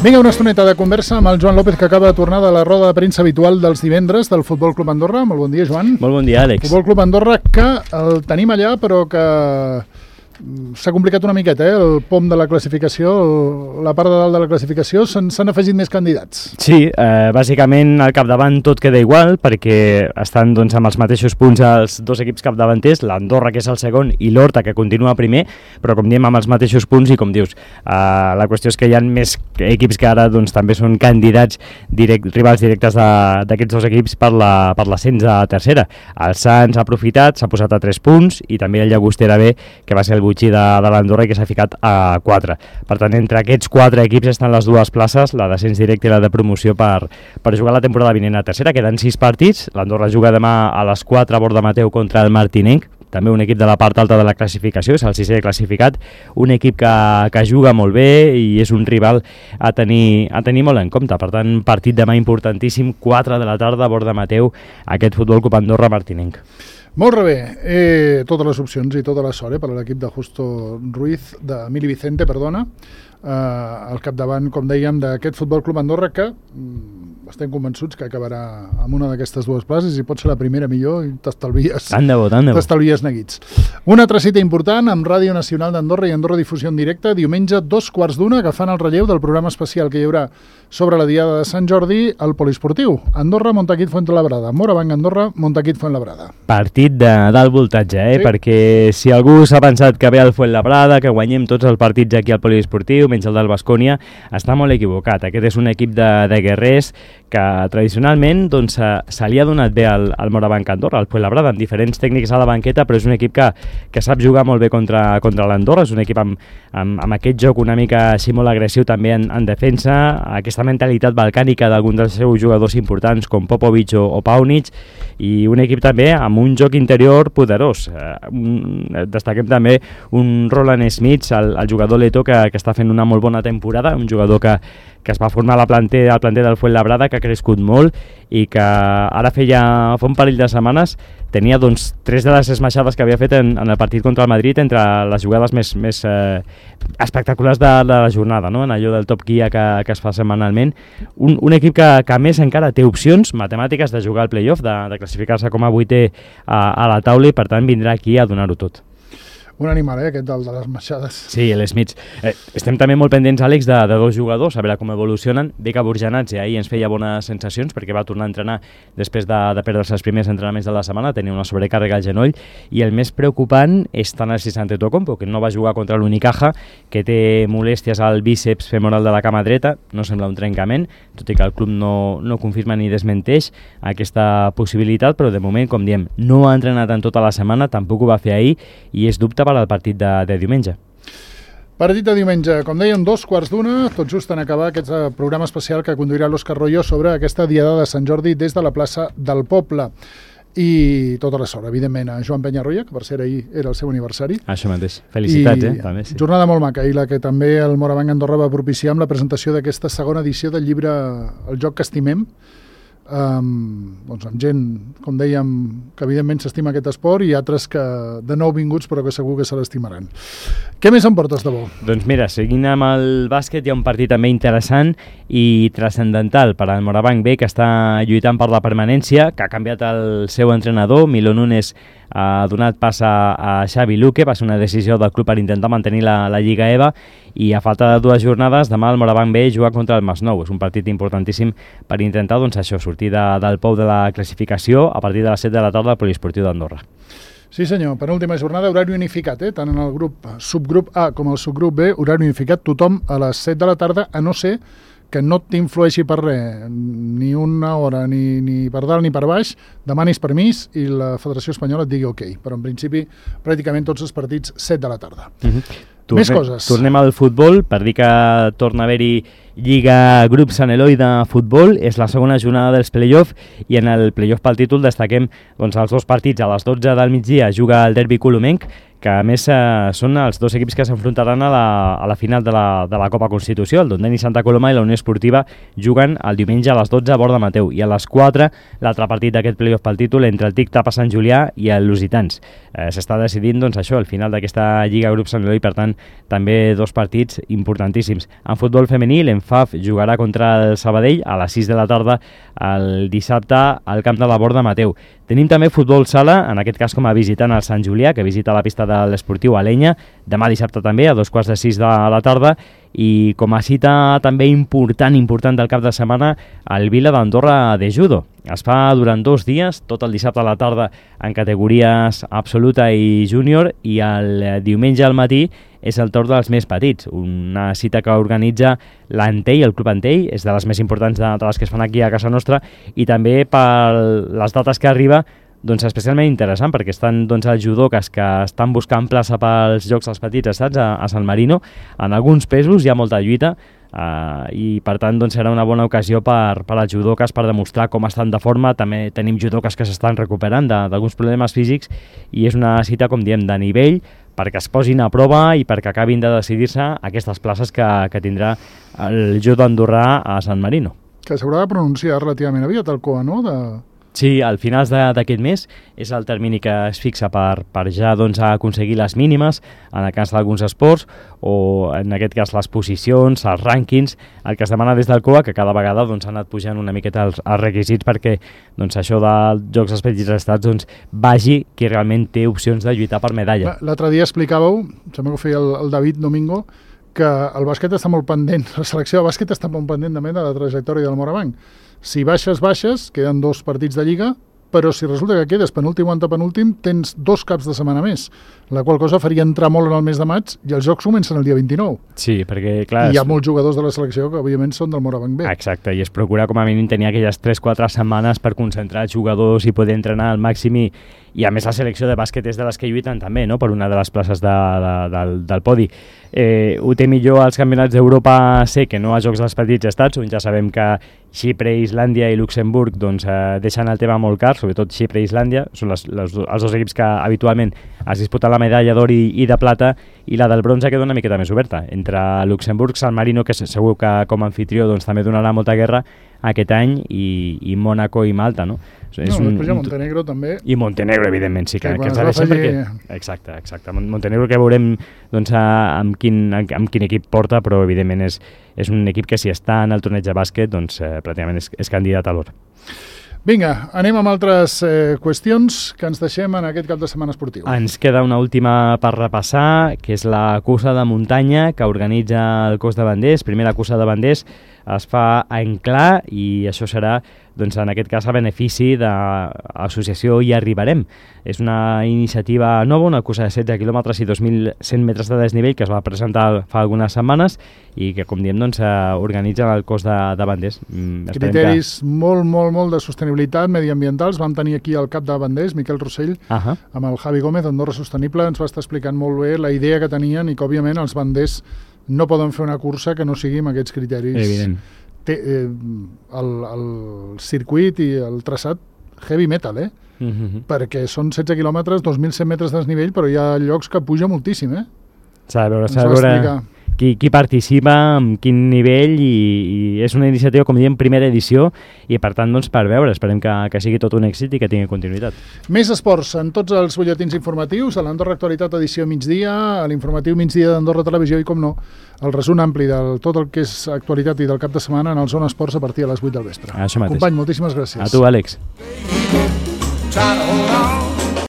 Vinga, una estoneta de conversa amb el Joan López, que acaba de tornar de la roda de premsa habitual dels divendres del Futbol Club Andorra. Molt bon dia, Joan. Molt bon dia, Àlex. Futbol Club Andorra, que el tenim allà, però que s'ha complicat una miqueta, el pom de la classificació, la part de dalt de la classificació, s'han afegit més candidats. Sí, bàsicament al capdavant tot queda igual, perquè estan doncs, amb els mateixos punts els dos equips capdavanters, l'Andorra, que és el segon, i l'Horta, que continua primer, però com diem, amb els mateixos punts, i com dius, la qüestió és que hi ha més equips que ara doncs, també són candidats rivals directes d'aquests dos equips per l'ascens a tercera. El Sants ha aprofitat, s'ha posat a 3 punts, i també el Llagostera B, que va ser el butxí de l'Andorra i que s'ha ficat a 4. Per tant, entre aquests 4 equips estan les dues places, la d'ascens directe i la de promoció per jugar la temporada vinent a tercera. Queden 6 partits, l'Andorra juga demà a les 4 a Bordamateu contra el Martinenc, també un equip de la part alta de la classificació, és el 6è classificat, un equip que juga molt bé i és un rival a tenir molt en compte. Per tant, partit demà importantíssim, 4 de la tarda a Bordamateu, aquest Futbol Club Andorra-Martinenc. Molt bé, totes les opcions i tota la sort per a l'equip de Emili Vicente, al capdavant, com dèiem, d'aquest Futbol Club Andorra, que estem convençuts que acabarà amb una d'aquestes dues places i pot ser la primera millor i t'estalvies neguits. Una altra cita important amb Ràdio Nacional d'Andorra i Andorra Difusió en directe, diumenge 2:15, agafant el relleu del programa especial que hi haurà sobre la Diada de Sant Jordi al Poliesportiu. Andorra, Montaquit, Fuenlabrada. Morabanc, Andorra, Montaquit, Fuenlabrada. Partit d'alt voltatge, sí? Perquè si algú s'ha pensat que ve al Fuenlabrada, que guanyem tots els partits aquí al Poliesportiu, menys el del Baskonia, està molt equivocat. Aquest és un equip de guerrers que tradicionalment doncs, se li ha donat bé al Morabanc Andorra, al Fuenlabrada, amb diferents tècnics a la banqueta, però és un equip que sap jugar molt bé contra l'Andorra, és un equip amb aquest joc una mica així molt agressiu també en defensa, aquesta mentalitat balcànica d'alguns dels seus jugadors importants com Popovic o Paunic, i un equip també amb un joc interior poderós. Destaquem també un Roland Smith, el jugador letó que està fent una molt bona temporada, un jugador que es va formar al planter del Fuenlabrada, que ha crescut molt i que ara fa un parell de setmanes tenia doncs 3 de les esmaixades que havia fet en el partit contra el Madrid entre les jugades més espectaculars de la jornada, no? En allò del top guia que es fa setmanalment. Un equip que a més encara té opcions matemàtiques de jugar al playoff, de classificar-se com a 8è a la taula, i per tant vindrà aquí a donar-ho tot. Un animal, aquest de les maixades. Sí, l'Smith. Estem també molt pendents, Àlex, de 2 jugadors, a veure com evolucionen. Beka Burjanadze ahir ens feia bones sensacions perquè va tornar a entrenar després de perdre-se els primers entrenaments de la setmana, tenia una sobrecàrrega al genoll, i el més preocupant és Thanasis Antetokounmpo, que no va jugar contra l'Unicaja, que té molèsties al bíceps femoral de la cama dreta, no sembla un trencament, tot i que el club no confirma ni desmenteix aquesta possibilitat, però de moment, com diem, no ha entrenat en tota la setmana, tampoc ho va fer ahir, i és dubte per al partit de diumenge. Partit de diumenge, com dèiem, 2:15, tot just en acabar aquest programa especial que conduirà l'Òscar Royo sobre aquesta Diada de Sant Jordi des de la plaça del Poble. I tota la sort, evidentment, a Joan Penyarroia, que per cert ahir era el seu aniversari. Això mateix, felicitats, també, sí. Jornada molt maca, i la que també el Morabanc Andorra va propiciar amb la presentació d'aquesta segona edició del llibre El joc que estimem, doncs amb gent, com dèiem, que evidentment s'estima aquest esport, i altres que de nou vinguts però que segur que se l'estimaran. Què més em portes de bo? Doncs mira, seguint amb el bàsquet, hi ha un partit també interessant i transcendental per al Morabanc B, que està lluitant per la permanència, que ha canviat el seu entrenador. Milo Nunes ha donat pas a Xavi Luque, va ser una decisió del club per intentar mantenir la Lliga EVA, i a falta de 2 jornades, demà el Morabanc B juga contra el Masnou. És un partit importantíssim per intentar, doncs això, sortir del pou de la classificació a partir de les 7 de la tarda al Poliesportiu d'Andorra. Sí senyor, penúltima jornada, horari unificat, tant en el subgrup A com el subgrup B, horari unificat, tothom a les 7 de la tarda, a no ser que no t'influeixi per res, ni una hora, ni per dalt ni per baix, demanis permís i la Federació Espanyola et digui ok, però en principi pràcticament tots els partits 7 de la tarda. Més coses. Tornem al futbol, per dir que torna a haver-hi Lliga Grup Sant Eloi de futbol, és la segona jornada dels play-off, i en el play-off pel títol destaquem doncs, els 2 partits. A les 12 del migdia juga el derbi colomenc, que a més són els dos equips que s'enfrontaran a la final de la Copa Constitució. El Dondeni Santa Coloma i la Unió Esportiva juguen el diumenge a les 12 a Borda Mateu i a les 4 l'altre partit d'aquest playoff pel títol entre el TIC Tapa Sant Julià i el Lusitans. S'està decidint doncs, això, el final d'aquesta Lliga Grup Sant Eloi, per tant, també dos partits importantíssims. En futbol femení, l'Enfaf jugarà contra el Sabadell a les 6 de la tarda el dissabte al camp de la Borda Mateu. Tenim també futbol sala, en aquest cas com a visitant al Sant Julià, que visita la pista de l'Esportiu Alenya, demà dissabte també, a 2:45 de la tarda, i com a cita també important del cap de setmana, el Vila d'Andorra de Judo. Es fa durant 2 dies, tot el dissabte a la tarda en categories absoluta i júnior, i el diumenge al matí és el torn dels més petits, una cita que organitza l'Antell, el Club Antell, és de les més importants de les que es fan aquí a casa nostra, i també per les dates que arriba, doncs especialment interessant, perquè estan doncs, els judoques que estan buscant plaça pels Jocs dels Petits Estats a San Marino. En alguns pesos hi ha molta lluita, i per tant doncs, serà una bona ocasió per als judoques per demostrar com estan de forma. També tenim judoques que s'estan recuperant d'alguns problemes físics, i és una cita, com diem, de nivell, perquè es posin a prova i perquè acabin de decidir-se aquestes places que tindrà el judo andorrà a San Marino. Que s'haurà de pronunciar relativament aviat el COA, no? Sí, al finals d'aquest mes és el termini que es fixa per ja doncs, aconseguir les mínimes en el cas d'alguns esports, o en aquest cas les posicions, els rànquings, el que es demana des del COA, que cada vegada doncs, ha anat pujant una miqueta els requisits perquè doncs, això dels Jocs dels Petits Estats doncs, vagi qui realment té opcions de lluitar per medalla. L'altre dia explicàveu, sembla que ho feia el David Domingo, que el bàsquet està molt pendent, la selecció de bàsquet està molt pendent també de la trajectòria del Morabanc. Si baixes, queden 2 partits de Lliga, però si resulta que quedes penúltim o antepenúltim, tens 2 caps de setmana més, la qual cosa faria entrar molt en el mes de maig, i els Jocs comencen el dia 29. Sí, perquè clar... I hi ha molts jugadors de la selecció que, òbviament, són del Morabanc B. Exacte, i es procura com a mínim tenir aquelles 3-4 setmanes per concentrar els jugadors i poder entrenar al màxim, i a més la selecció de bàsquet és de les que lluiten també, no?, per una de les places del podi. Ho té millor als campionats d'Europa C que no als Jocs dels Petits Estats, on ja sabem que Xipre, Islàndia i Luxemburg doncs, deixen el tema molt car, sobretot Xipre i Islàndia, són els 2 equips que habitualment es disputen la medalla d'or i de plata, i la del bronze queda una miqueta més oberta, entre Luxemburg, San Marino, que segur que com a anfitrió doncs, també donarà molta guerra aquest any, i Mònaco i Malta, no? Després hi ha Montenegro també. I Montenegro, evidentment, sí, que ens ha deixat perquè... Exacte. Montenegro que veurem doncs, amb quin equip porta, però evidentment és un equip que si està en el torneig de bàsquet doncs pràcticament és candidat a l'or. Vinga, anem amb altres qüestions que ens deixem en aquest cap de setmana esportiu. Ens queda una última per repassar, que és la cursa de muntanya que organitza el cos de banders. Primera cursa de banders es fa a Enclà, i això serà, doncs, en aquest cas, a benefici de l'associació Hi Arribarem. És una iniciativa nova, una cursa de 16 quilòmetres i 2.100 metres de desnivell que es va presentar fa algunes setmanes i que, com diem, doncs, organitza el cos de banders. Criteris molt de sostenibilitat mediambientals. Vam tenir aquí el cap de banders, Miquel Rossell, amb el Javi Gómez d'Andorra Sostenible. Ens va estar explicant molt bé la idea que tenien i que, òbviament, els banders no poden fer una cursa que no sigui amb aquests criteris. Evident. El circuit i el traçat heavy metal, perquè són 16 quilòmetres, 2.100 metres de desnivell, però hi ha llocs que puja moltíssim, S'ha de veure qui participa, amb quin nivell, i és una iniciativa, com diem, primera edició, i per tant, doncs, per veure, esperem que sigui tot un èxit i que tingui continuïtat. Més esports en tots els butlletins informatius, a l'Andorra Actualitat edició migdia, a l'informatiu migdia d'Andorra Televisió, i com no, el resum ampli de tot el que és actualitat i del cap de setmana en el Zona Esports a partir de les 8 del vespre. Això mateix. Company, moltíssimes gràcies. A tu, Àlex.